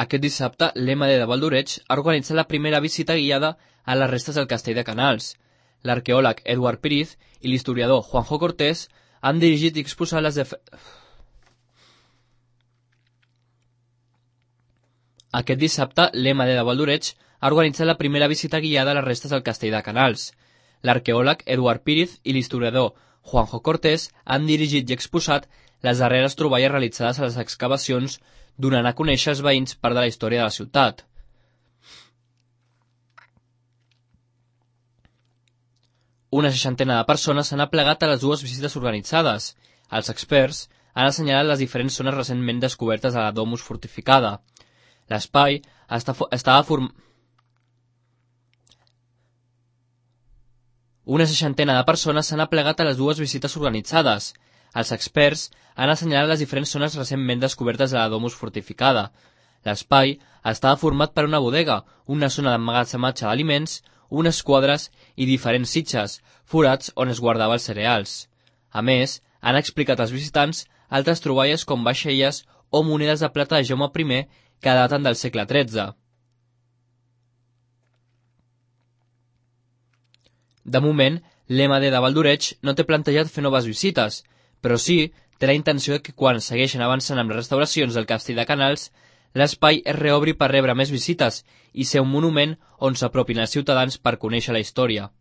Aquest dissabte, l'EMD de Valdoreig ha organitzat la primera visita guiada a les restes del castell de Canals. L'arqueòleg Eduard Píriz i l'historiador Juanjo Cortés han dirigit i exposat Aquest dissabte, l'EMD de Valdoreig ha organitzat la primera visita guiada a les restes del castell de Canals. L'arqueòleg Eduard Píriz i l'historiador Juanjo Cortés han dirigit i exposat les darreres troballes realitzades a les excavacions, donant a conèixer als veïns part de la història de la ciutat. Una 60 de persones s'han aplegat a les dues visites organitzades. Els experts han assenyalat les diferents zones recentment descobertes a la domus fortificada. L'espai estava format... Una 60 de persones s'han aplegat a les dues visites organitzades. Els experts han assenyalat les diferents zones recentment descobertes de la domus fortificada. L'espai estava format per una bodega, una zona d'emmagatzematge d'aliments, unes quadres i diferents sitges, forats on es guardava els cereals. A més, han explicat als visitants altres troballes com vaixelles o monedes de plata de Jaume I que daten del segle XIII. De moment, l'EMD de Valdoreig no té plantejat fer noves visites, però sí té la intenció que quan segueixen avançant amb les restauracions del castell de Canals, l'espai es reobri per rebre més visites i ser un monument on s'apropin els ciutadans per conèixer la història.